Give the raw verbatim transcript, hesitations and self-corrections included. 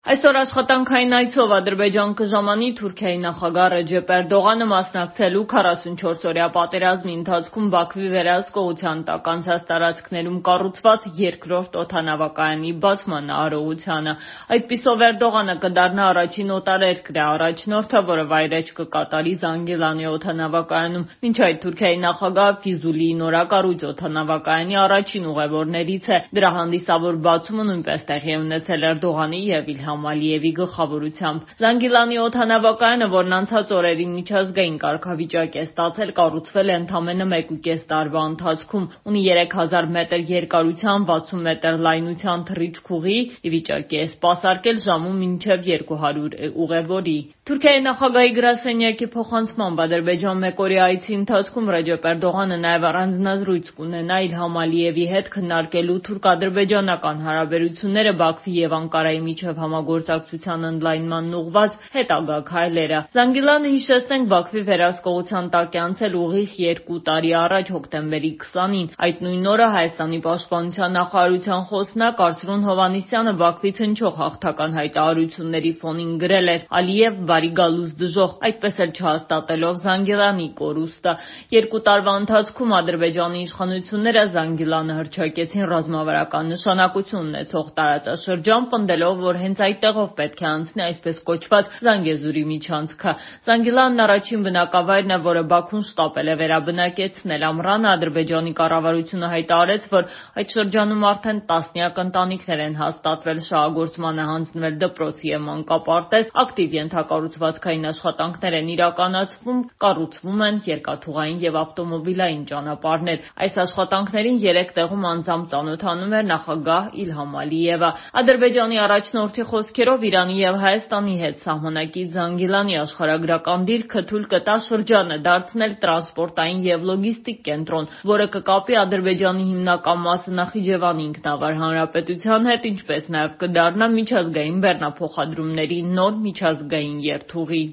Այսօր աշխատանքային այցով Ադրբեջան կժամանի Թուրքիայի նախագահ Ռեջեփ Էրդողանը մասնակցելու քառասունչորսօրյա պատերազմի ընթացքում Բաքվի վերահսկողության տակ անցած տարածքներում կառուցված երկրորդ օդանավակայանի բացման արարողությանը։ Այդպիսով Էրդողանը կդառնա առաջին օտարերկրյա առաջնորդը, որը վայրէջք կկատարի Զանգիլանի օդանավակայանում։ Մինչ այդ Թուրքիայի նախագահը Ֆիզուլիի նորակառույց օդանավակայանի առաջին ուղևորներից է։ Դրա հանդիսավոր բացումը նույնպես տեղի է ունեցել Էրդողանի և Իլհամ Ալիևի գլխավորությամբ։ Զանգիլանի օդանավակայանը, որն անցած օրերին միջազգային կարգավիճակ է ստացել, կառուցվել է ընդամենը մեկուկես տարվա ընթացքում։ Ունի երեք հազար մետր երկարության, վաթսուն մետր լայնության թռիչքուղի, ի վիճակի է սպասարկել ժամում մինչև երկու հարյուր ուղևորի։ Թուրքիայի նախագահի գրասենյակի փոխանցմամբ Ադրբեջան մեկօրյա այցի ընթացքում Ռեջեփ Էրդողանը նաև առանձնազրույց կունենա Իլհամ Ալիևի հետ, քննարկելու թուրք-ադրբեջանական հարաբերությունները, Բաքվի և Անկարայի միջև համագործակցության ընդլայնմանն ուղղված հետագա քայլերը։ Զանգիլանը, հիշեցնենք, Բաքվի վերահսկողության տակ է անցել ուղիղ երկու տարի առաջ՝ հոկտեմբերի քսանին։ Այդ նույն օրը Հայաստանի պաշտպանության նախարարության խոսնակ Արսրուն Հովհաննիսյանը Բաքվից հնչող հաղթական հայտարարությունների ֆոնին գրել էր. «Ալիև բարի գալուս դժոխք», այդպես էլ չհաստատելով Զանգիլանի կորուստը։ Երկու տարվա ընթացքում Ադրբեջանի իշխանությունները Զանգիլանը հռչակեցին ռազմավարական նշանակություն ունեցող տարածաշրջան, պնդելով, որ հենց այդտեղով պետք է անցնի այսպես կոչված Զանգեզուրի միջանցքը։ Զանգիլանն առաջին բնակավայրն է, որը Բաքուն շտապել է վերաբնակեցնել։ Ամռանը Ադրբեջանի կառավարությունը հայտարարեց, որ այդ շրջանում արդեն տասնյակ ընտանիքներ են հաստատվել, շահագործման է հանձնվել դպրոց և մանկապարտեզ, ակտիվ ենթակառուցվածքային աշխատանքներ են իրականացվում, կառուցվում են երկաթուղային և ավտոմոբիլային ճանապարհներ։ Այս աշխատանքներին երեք տեղում անձամբ ծանոթանում էր նախագահ Իլհամ Ալիևը։ Ադրբեջանի առաջնորդի խոսքերով Իրանի և Հայաստանի հետ սահմանակից Զանգիլանի աշխարհագրական դիրքը թույլ կտա շրջանը դարձնել տրանսպորտային և լոգիստիկ կենտրոն, որը կկապի Ադրբեջանի հիմնական մասը Նախիջևանի ինքնավար հանրապետության հետ, ինչպես նաև կդառնա միջազգային բեռնափոխադրումների նոր միջազգային երթուղի։